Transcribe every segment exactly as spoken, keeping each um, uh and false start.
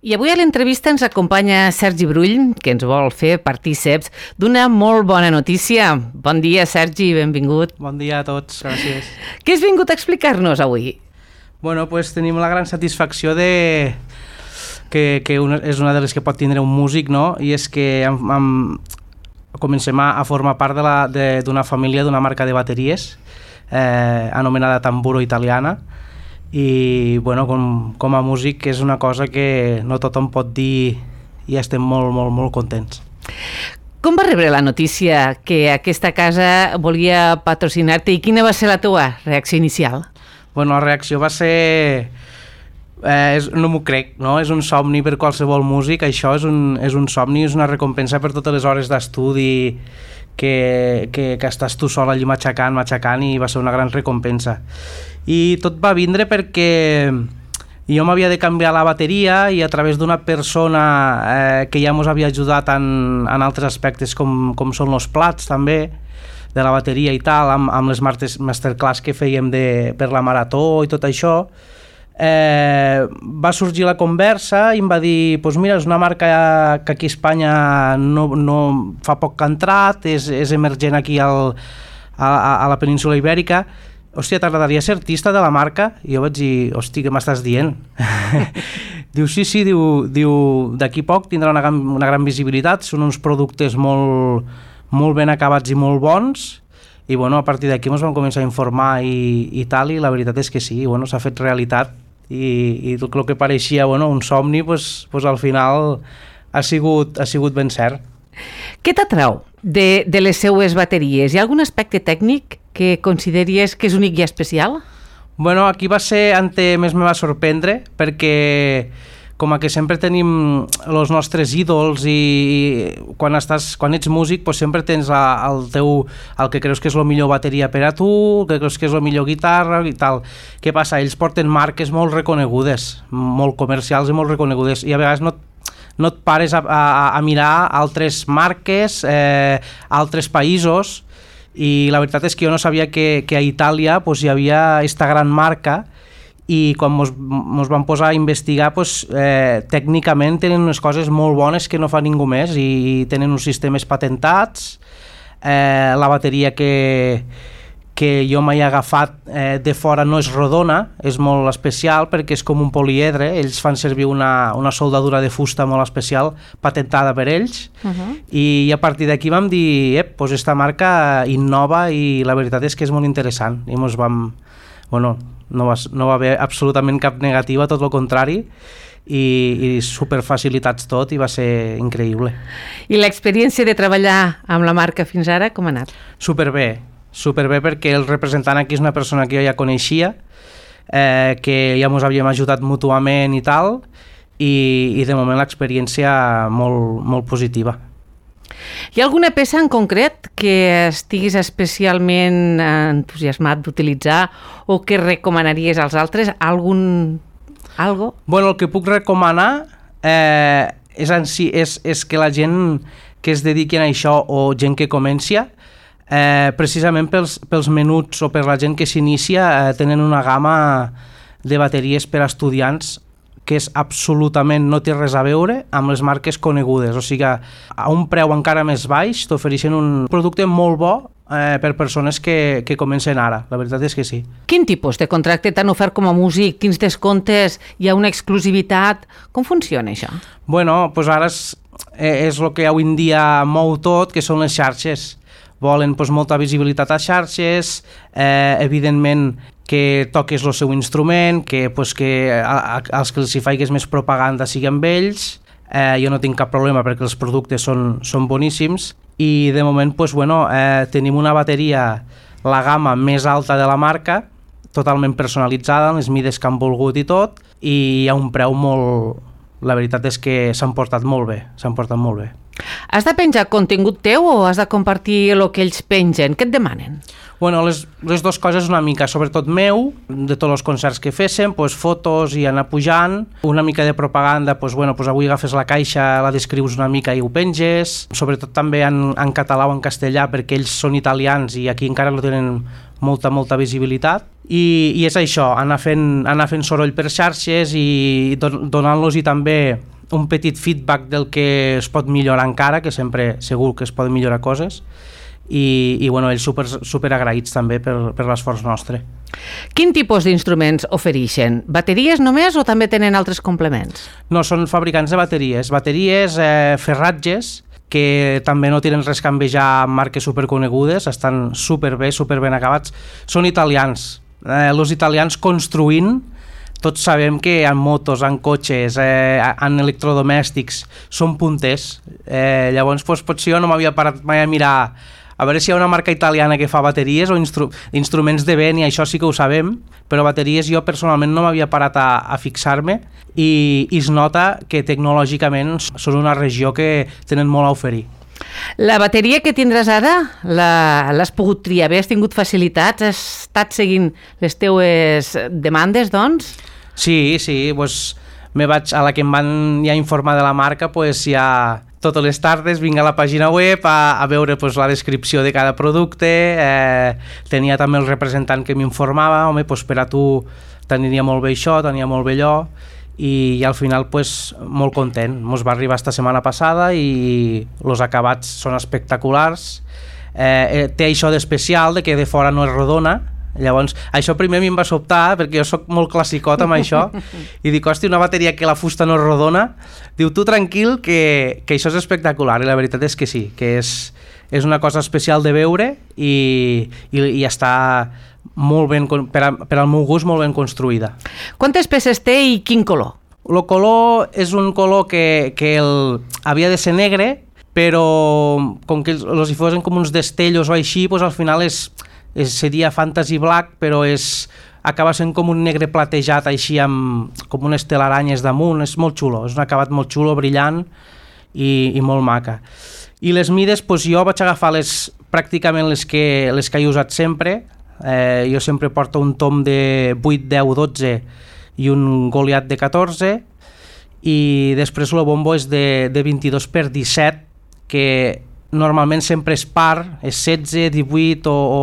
I avui a l'entrevista ens acompanya Sergi Brull, que ens vol fer partíceps d'una molt bona notícia. Bon dia, Sergi, benvingut. Bon dia a tots, gràcies. Què has vingut a explicar-nos avui? Bueno, pues tenim la gran satisfacció de... que, que una, és una de les que pot tindre un músic, no? I és que am, am, comencem a, a formar part d'una família, d'una marca de bateries eh, anomenada Tamburo Italiana. I bueno, com, com a músic és una cosa que no tothom pot dir i estem molt, molt, molt contents. Com va rebre la notícia que aquesta casa volia patrocinar-te i quina va ser la teva reacció inicial? Bueno, la reacció va ser... Eh, és, no m'ho crec, no? És un somni per qualsevol músic, això és un, és un somni, és una recompensa per totes les hores d'estudi que, que, que estàs tu sol allí matxacant, matxacant i va ser una gran recompensa. I tot va vindre perquè jo m'havia de canviar la bateria i a través d'una persona eh, que ja ens havia ajudat en, en altres aspectes com, com són els plats també de la bateria i tal, amb, amb les masterclass que fèiem de, per la marató i tot això, eh, va sorgir la conversa i em va dir, pues mira, és una marca que aquí a Espanya no, no fa poc que ha entrat, és, és emergent aquí al, a, a la península Ibèrica. Hòstia, t'agradaria ser artista de la marca? I jo vaig dir, hòstia, què m'estàs dient? Diu, sí, sí, diu, diu d'aquí poc tindrà una gran, una gran visibilitat, són uns productes molt, molt ben acabats i molt bons, i bueno, a partir d'aquí ens vam començar a informar i, i tal, i la veritat és que sí, bueno, s'ha fet realitat, i, i tot el que pareixia bueno, un somni, pues, pues al final ha sigut, ha sigut ben cert. Què t'atrau de, de les seues bateries? Hi ha algun aspecte tècnic que consideries que és únic i especial? Bueno, aquí va ser on més me va sorprendre, perquè com que sempre tenim els nostres ídols i quan, estàs, quan ets músic pues sempre tens la, el, teu, el que creus que és la millor bateria per a tu, el que creus que és la millor guitarra i tal. Què passa? Ells porten marques molt reconegudes, molt comercials i molt reconegudes, i a vegades no no et pares a, a, a mirar altres marques, eh, altres països, i la veritat és que jo no sabia que, que a Itàlia pues, hi havia aquesta gran marca, i quan mos, mos vam posar a investigar pues, eh, tècnicament tenen unes coses molt bones que no fa ningú més, i tenen uns sistemes patentats, eh, la bateria que, que jo m'he agafat eh, de fora no és rodona, és molt especial perquè és com un poliedre, ells fan servir una, una soldadura de fusta molt especial patentada per ells, uh-huh. i a partir d'aquí vam dir, ep, pues esta marca innova i la veritat és que és molt interessant, i mos vam, bueno, no va, no va haver absolutament cap negativa, tot el contrari, i, i superfacilitats tot, i va ser increïble. I l'experiència de treballar amb la marca fins ara, com ha anat? Superbé, superbé perquè el representant aquí és una persona que jo ja coneixia, eh, que ja ens havíem ajudat mútuament i tal, i, i de moment l'experiència molt, molt positiva. Hi ha alguna peça en concret que estiguis especialment entusiasmat d'utilitzar o que recomanaries als altres? Algun... algo? Bueno, el que puc recomanar eh, és, en si, és, és que la gent que es dediqui a això o gent que comenci, Eh, precisament pels, pels menuts o per la gent que s'inicia eh, tenen una gamma de bateries per a estudiants que és absolutament, no té res a veure amb les marques conegudes, o sigui a un preu encara més baix t'ofereixen un producte molt bo eh, per persones que, que comencen ara, la veritat és que sí. Quin tipus de contracte t'han ofert com a músic? Quins descomptes? Hi ha una exclusivitat? Com funciona això? Bueno, doncs ara és, és el que avui en dia mou tot, que són les xarxes. Volen pues, molta visibilitat a xarxes, eh, evidentment que toques el seu instrument, que, pues, que a, a, als que els hi faigues més propaganda sigui amb ells. Eh, jo no tinc cap problema perquè els productes són, són boníssims, i de moment pues, bueno, eh, tenim una bateria, la gamma més alta de la marca, totalment personalitzada, amb les mides que han volgut i tot, i hi ha un preu molt... La veritat és que s'han portat molt bé, s'han portat molt bé. Has de penjar contingut teu o has de compartir el que ells pengen? Què et demanen? Bueno, les, les dues coses una mica, sobretot meu, de tots els concerts que féssim, pues, fotos i anar pujant, una mica de propaganda, pues, bueno, pues, avui agafes la caixa, la descrius una mica i ho penges, sobretot també en, en català o en castellà, perquè ells són italians i aquí encara no tenen molta, molta visibilitat, I, i és això, anar fent, anar fent soroll per xarxes i don, donant-los i també un petit feedback del que es pot millorar encara, que sempre segur que es poden millorar coses, i, i bueno, ells super, super agraïts també per, per l'esforç nostre. Quin tipus d'instruments ofereixen? Bateries només o també tenen altres complements? No, són fabricants de bateries. Bateries, eh, ferratges, que també no tenen res a envejar amb marques superconegudes, estan superbé, superben acabats. Són italians. Eh, els italians construint, tots sabem que en motos, en cotxes, eh, en electrodomèstics, són punters. Eh, llavors, doncs, potser jo no m'havia parat mai a mirar a veure si hi ha una marca italiana que fa bateries o instru instruments de vent, i això sí que ho sabem, però bateries jo personalment no m'havia parat a, a fixar-me, i, i es nota que tecnològicament són una regió que tenen molt a oferir. La bateria que tindràs ara, l'has pogut triar bé? Has tingut facilitats? Has estat seguint les teues demandes, doncs? Sí, sí, doncs me vaig, a la que em van ja informar de la marca, doncs ja totes les tardes vinc a la pàgina web a, a veure pues, la descripció de cada producte, eh, tenia també el representant que m'informava, home, pues, per a tu tenia molt bé això, tenia molt bé allò, i, i al final pues, molt content. Ens va arribar esta setmana passada i els acabats són espectaculars. Eh, té això d'especial, de que de fora no es rodona. Llavors, això primer a mi em va sobtar, perquè jo sóc molt classicot amb això, i dic, hosti, una bateria que la fusta no es rodona. Diu, tu tranquil, que, que això és espectacular, i la veritat és que sí, que és, és una cosa especial de veure, i, i, i està molt ben, per, a, per al meu gust, molt ben construïda. Quantes peces té i quin color? El color és un color que, que el, havia de ser negre, però com que els, els hi fosen com uns destellos o així, doncs al final és... És, seria fantasy black, però és, acaba sent com un negre platejat així amb com unes telaranyes damunt. És molt xulo, és un acabat molt xulo, brillant i, i molt maca. I les mides, doncs jo vaig agafar les, pràcticament les que, les que he usat sempre. Eh, jo sempre porto un tom de vuit, deu, dotze i un Goliath de catorze, i després el bombo és de, de vint-i-dos per disset, que normalment sempre és par, és setze, divuit, o, o,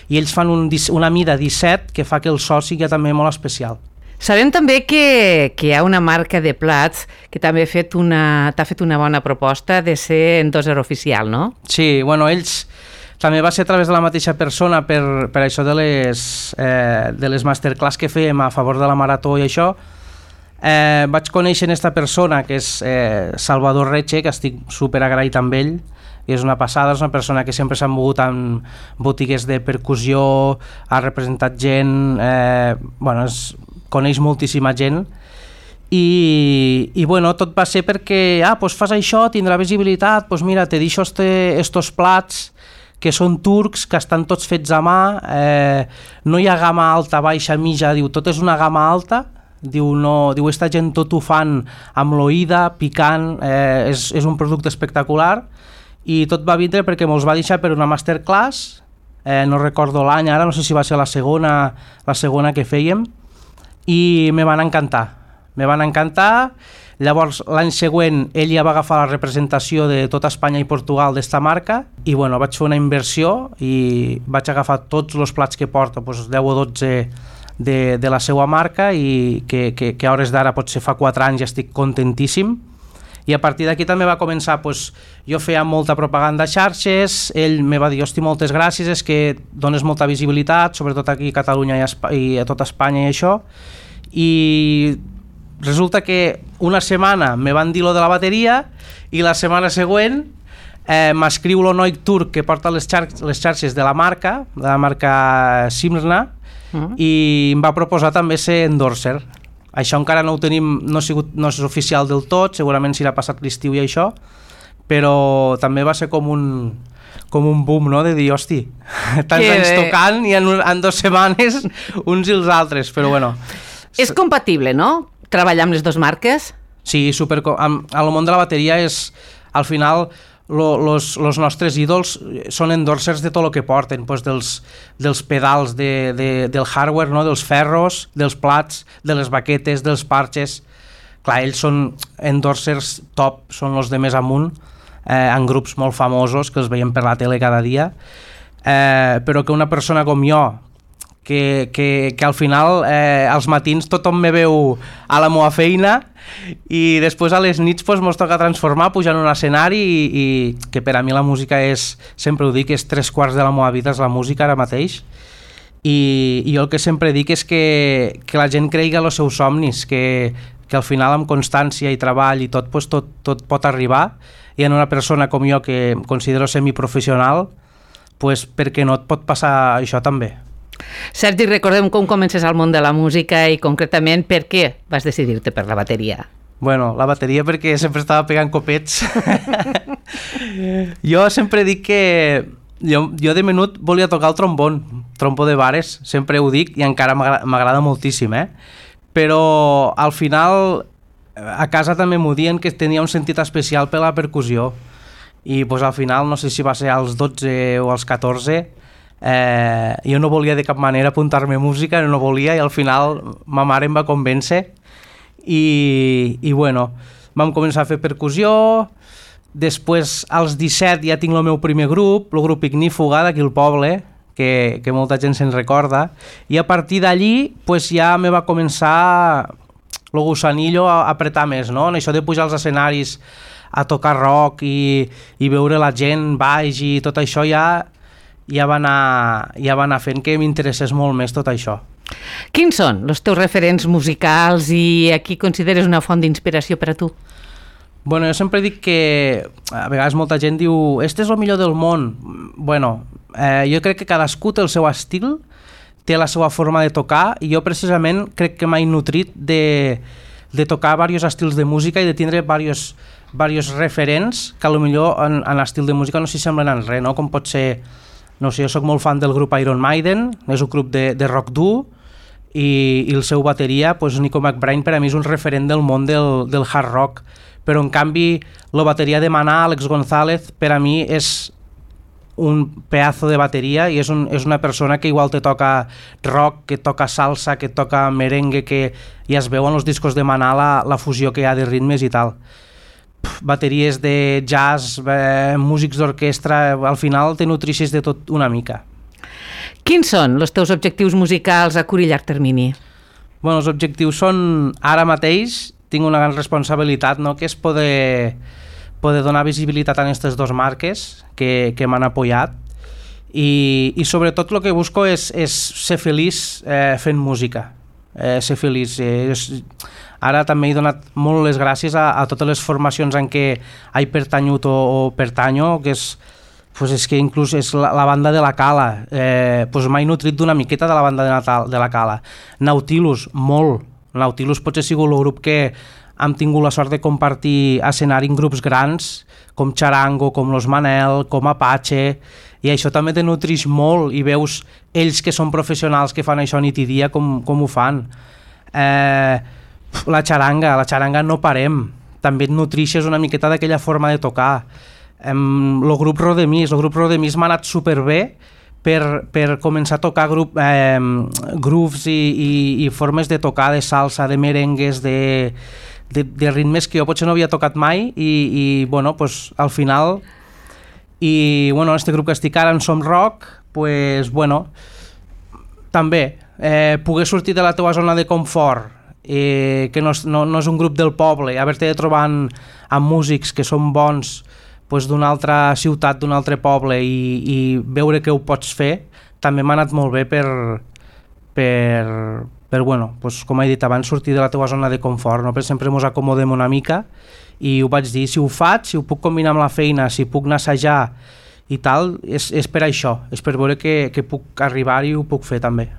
i ells fan un, una mida disset que fa que el so sigui també molt especial. Sabem també que, que hi ha una marca de plats que també ha fet una, t'ha fet una bona proposta de ser endosser oficial, no? Sí, bueno, ells també va ser a través de la mateixa persona per, per això de les, eh, de les masterclass que fèiem a favor de la marató i això. Eh, vaig conèixer aquesta persona, que és eh, Salvador Reche, que estic super agraït amb ell, i és una passada, és una persona que sempre s'ha mogut en botigues de percussió, ha representat gent, eh, bueno, es, coneix moltíssima gent, i, i bueno, tot va ser perquè, ah, doncs fas això, tindrà visibilitat, doncs mira, te deixo este, estos plats que són turcs, que estan tots fets a mà, eh, no hi ha gamma alta, baixa, mitja, diu, tot és una gamma alta, diu, no, diu, esta gent tot ho fan amb l'oïda, picant, eh, és, és un producte espectacular, i tot va vindre perquè mos va deixar per una masterclass, eh, no recordo l'any ara, no sé si va ser la segona, la segona que fèiem, i me van encantar, me van encantar. Llavors l'any següent ell ja va agafar la representació de tota Espanya i Portugal d'esta marca, i bueno, vaig fer una inversió i vaig agafar tots els plats que porto, doncs deu o dotze de, de la seva marca, i que, que, que a hores d'ara potser fa quatre anys ja estic contentíssim. I a partir d'aquí també va començar, doncs, jo feia molta propaganda a xarxes, ell me va dir, hosti, moltes gràcies, és que dones molta visibilitat, sobretot aquí a Catalunya i a, Espa i a tota Espanya i això, i resulta que una setmana me van dir lo de la bateria, i la setmana següent eh, m'escriu lo noi turc que porta les, xar les xarxes de la marca, de la marca Simrna, uh-huh. i em va proposar també ser endorser. Això encara no ho tenim, no, ha sigut, no és oficial del tot, segurament s'hi ha passat l'estiu i això, però també va ser com un, com un boom, no?, de dir, hosti, tants que anys bé. Tocant i en, en dues setmanes uns i els altres, però bueno. És compatible, no?, treballar amb les dues marques? Sí, super, amb, al món de la bateria és, al final, lo, los, los nostres ídols són endorsers de tot el que porten, pues dels, dels pedals, de, de, del hardware, no? Dels ferros, dels plats, de les baquetes, dels parxes. Clar, ells són endorsers top, són els de més amunt, eh, en grups molt famosos que els veiem per la tele cada dia, eh, però que una persona com jo, que, que, que al final eh, als matins tothom me veu a la meva feina i després a les nits pues, mos toca transformar, pujar en un escenari i, i que per a mi la música és, sempre ho dic, és tres quarts de la meva vida és la música ara mateix i, i jo el que sempre dic és que, que la gent cregui en els seus somnis, que, que al final amb constància i treball i tot, pues, tot, tot pot arribar i en una persona com jo que considero semiprofessional pues, perquè no et pot passar això també. Sergi, recordem com comences al món de la música i concretament per què vas decidir-te per la bateria. Bueno, la bateria perquè sempre estava pegant copets. Jo sempre dic que jo, jo de menut volia tocar el trombon, trompó de bares, sempre ho dic i encara m'agrada moltíssim, eh? Però al final a casa també m'ho diuen que tenia un sentit especial per la percussió i pues, al final no sé si va ser als dotze o als catorze Eh, jo no volia de cap manera apuntar-me a música, no volia i al final ma mare em va convèncer i, i bueno, vam començar a fer percussió, després als disset ja tinc el meu primer grup, el grup Ignífuga d'aquí al poble, que, que molta gent se'n recorda, i a partir d'allí pues, ja me va començar el gusanillo a apretar més, no? En això de pujar als escenaris a tocar rock i, i veure la gent baix i tot això ja ja va anar, ja va anar fent que m'interessés molt més tot això. Quins són els teus referents musicals i a qui consideres una font d'inspiració per a tu? Bueno, jo sempre dic que a vegades molta gent diu este és el millor del món. Bueno, eh, jo crec que cadascú té el seu estil, té la seva forma de tocar i jo precisament crec que m'he nutrit de, de tocar diversos estils de música i de tindre diversos, diversos referents que potser en, en l'estil de música no s'hi semblen en res, no? Com pot ser... No sé, jo soc molt fan del grup Iron Maiden, és un grup de, de rock dur i, i el seu bateria, pues, Nico McBrain, per a mi és un referent del món del, del hard rock, però en canvi la bateria de Maná, Alex González, per a mi és un pedazo de bateria i és, un, és una persona que igual te toca rock, que toca salsa, que toca merengue, que ja es veu en els discos de Maná la, la fusió que hi ha de ritmes i tal. Bateries de jazz, eh, músics d'orquestra, al final te nutrixes de tot una mica. Quins són els teus objectius musicals a curt i llarg termini? Bueno, els objectius són, ara mateix, tinc una gran responsabilitat, no?, que és poder, poder donar visibilitat a aquestes dues marques que, que m'han apoyat i, i sobretot el que busco és, és ser feliç eh, fent música, eh, ser feliç. Eh, és, Ara també he donat molt les gràcies a, a totes les formacions en què he pertanyut o, o pertanyo, que és, pues és que inclús és la, la banda de la Cala. Eh, pues m'he nutrit d'una miqueta de la banda de, Natal, de la Cala. Nautilus, molt. Nautilus potser ha sigut el grup que hem tingut la sort de compartir escenari en grups grans, com Charango, com Los Manel, com Apache, i això també te nutrix molt i veus ells que són professionals que fan això nit i dia com, com ho fan. Eh... La xaranga, la xaranga no parem, també et nutrixes una miqueta d'aquella forma de tocar. El grup Rodemís, el grup Rodemís m'ha anat superbé per, per començar a tocar grup, eh, grooves i, i, i formes de tocar de salsa, de merengues, de, de, de ritmes que jo potser no havia tocat mai i, i bueno, pues, al final i bueno, este grup que estic ara en Som Rock, pues, bueno, també eh, poder sortir de la teva zona de confort, Eh, que no és, no, no és un grup del poble, haver-te de trobar amb, amb músics que són bons pues, d'una altra ciutat, d'un altre poble i, i veure que ho pots fer, també m'ha anat molt bé per, per, per bueno, pues, com he dit abans, sortir de la teva zona de confort, no? Per sempre ens acomodem una mica i ho vaig dir, si ho faig, si ho puc combinar amb la feina, si puc anar a assajar i tal, és, és per això, és per veure que, que puc arribar i ho puc fer també.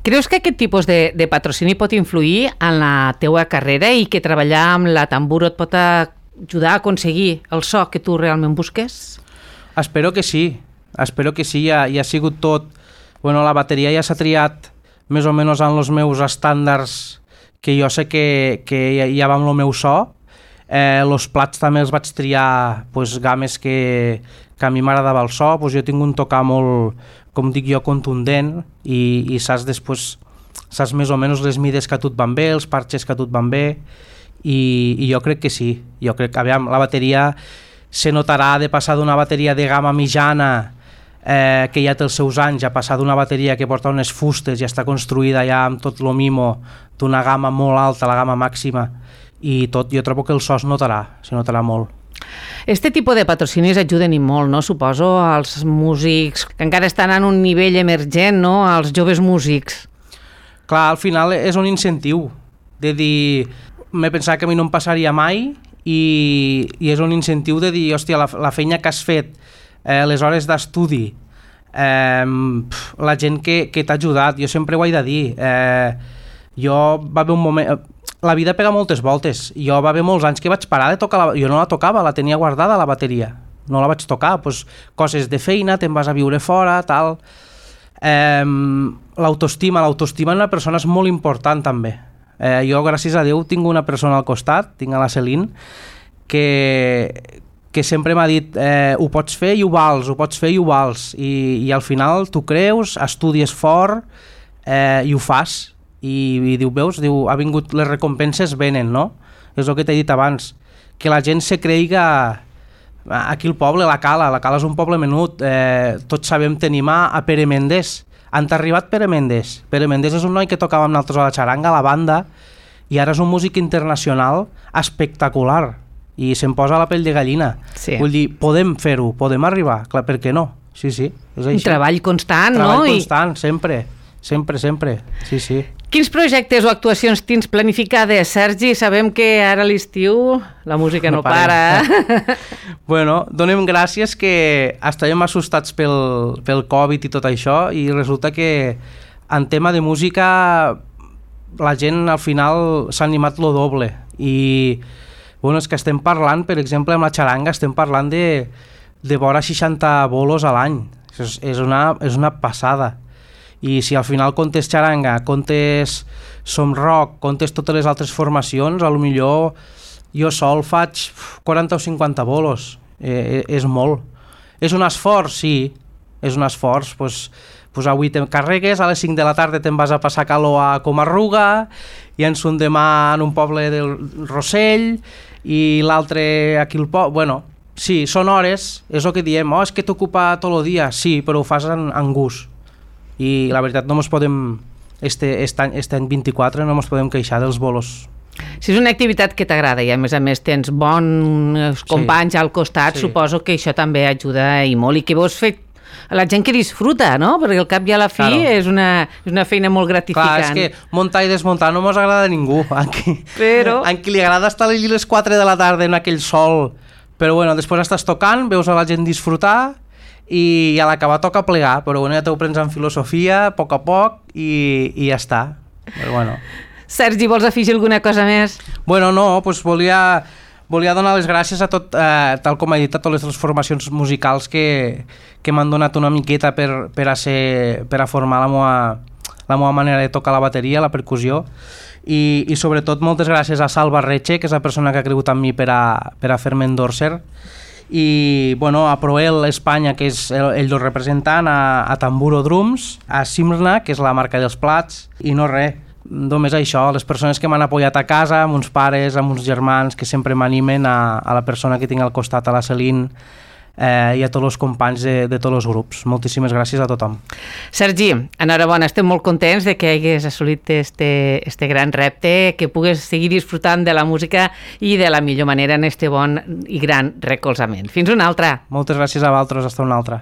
Creus que aquest tipus de, de patrocini pot influir en la teua carrera i que treballar amb la Tamburo et pot ajudar a aconseguir el so que tu realment busques? Espero que sí, espero que sí, ja, ja ha sigut tot... Bueno, la bateria ja s'ha triat més o menys en els meus estàndards que jo sé que, que ja, ja va amb el meu so. Eh, els plats també els vaig triar pues, games que, que a mi m'agradava el so, pues, jo tinc un tocar molt, com dic jo, contundent i, i saps després, saps més o menys les mides que a tu et van bé, els parxes que a tu et van bé i, i jo crec que sí, jo crec que aviam, la bateria se notarà de passar d'una bateria de gamma mitjana eh, que ja té els seus anys, a passar d'una bateria que porta unes fustes i està construïda ja amb tot lo mimo d'una gamma molt alta, la gamma màxima, i tot, jo trobo que el so es notarà, se notarà molt. Este tipus de patrocinis ajuden i molt, no? Suposo, als músics que encara estan en un nivell emergent, no? Als joves músics. Clar, al final és un incentiu de dir, m'he pensat que a mi no em passaria mai i, i és un incentiu de dir, hòstia, la, la feina que has fet, eh, les hores d'estudi, eh, la gent que, que t'ha ajudat, jo sempre ho he de dir, eh, jo va haver un moment... La vida pega moltes voltes. Jo va haver molts anys que vaig parar de tocar, la, jo no la tocava, la tenia guardada la bateria, no la vaig tocar, pues, coses de feina, te'n vas a viure fora, tal. Eh, l'autoestima, l'autoestima en una persona és molt important també. Eh, jo, gràcies a Déu, tinc una persona al costat, tinc a la Celine, que, que sempre m'ha dit eh, ho pots fer i ho vals, ho pots fer i ho vals, i, i al final tu creus, estudies fort eh, i ho fas. I, i diu, veus, diu, ha vingut, les recompenses venen, no? És el que t'he dit abans, que la gent se creiga aquí al poble, la Cala, la Cala és un poble menut, eh, tots sabem t'animar a Pere Méndez. Han arribat Pere Méndez. Pere Méndez és un noi que tocava amb nosaltres a la xaranga, a la banda, i ara és un músic internacional espectacular, i se'm posa la pell de gallina. Sí. Vull dir, podem fer-ho, podem arribar, clar, per què no? Sí, sí, és així. Un treball constant, treball no? Treball constant, I... sempre. Sempre, sempre, sí, sí. Quins projectes o actuacions tens planificades, Sergi? Sabem que ara a l'estiu la música no, no para. Bueno, donem gràcies que estàvem assustats pel, pel Covid i tot això, i resulta que en tema de música la gent al final s'ha animat lo doble. I bueno, és que estem parlant, per exemple, amb la xaranga, estem parlant de, de vora seixanta bolos a l'any. És, és, una, és una passada. I si al final comptes xaranga, comptes som rock, comptes totes les altres formacions, a lo millor jo sol faig quaranta o cinquanta bolos, eh, és molt. És un esforç, sí, és un esforç, pues, pues avui te carregues, a les cinc de la tarda te'n vas a passar calor a Comarruga, i ens un demà en un poble del Rossell, i l'altre aquí al poble, bueno, sí, són hores, és el que diem, oh, és que t'ocupa tot el dia, sí, però ho fas en, en gust. I la veritat no ens podem, este, este, any, este any vint-i-quatre no ens podem queixar dels bolos. Si és una activitat que t'agrada i a més a més tens bons companys sí, al costat, sí. Suposo que això també ajuda i molt, i que vols fer a la gent que disfruta, no? Perquè al cap i a la fi claro. és, una, és una feina molt gratificant. Clar, és que muntar i desmuntar no mos agrada a ningú. A qui, però... a qui li agrada estar allí a les quatre de la tarda en aquell sol, però bueno, després estàs tocant, veus a la gent disfrutar, i a l'acabar toca plegar, però bueno, ja t'ho prens en filosofia, a poc a poc, i, i ja està. Però bueno. Sergi, vols afegir alguna cosa més? Bueno, no, doncs volia, volia donar les gràcies a tot, eh, tal com he dit, a totes les formacions musicals que, que m'han donat una miqueta per, per, a ser, per a formar la meva, la meva manera de tocar la bateria, la percussió, i, i sobretot moltes gràcies a Salva Reche, que és la persona que ha cregut en mi per a, per a fer-me endorser, i bueno, a Proel Espanya, que és el, el representant, a, a Tamburo Drums, a Simrna, que és la marca dels plats, i no res, només això, les persones que m'han apoyat a casa, amb uns pares, amb uns germans que sempre m'animen, a, a la persona que tinc al costat, a la Celine, eh, i a tots els companys de, de tots els grups. Moltíssimes gràcies a tothom. Sergi, enhorabona, estem molt contents de que hagués assolit este, este gran repte, que pugues seguir disfrutant de la música i de la millor manera en este bon i gran recolzament. Fins una altra. Moltes gràcies a vosaltres, hasta una altra.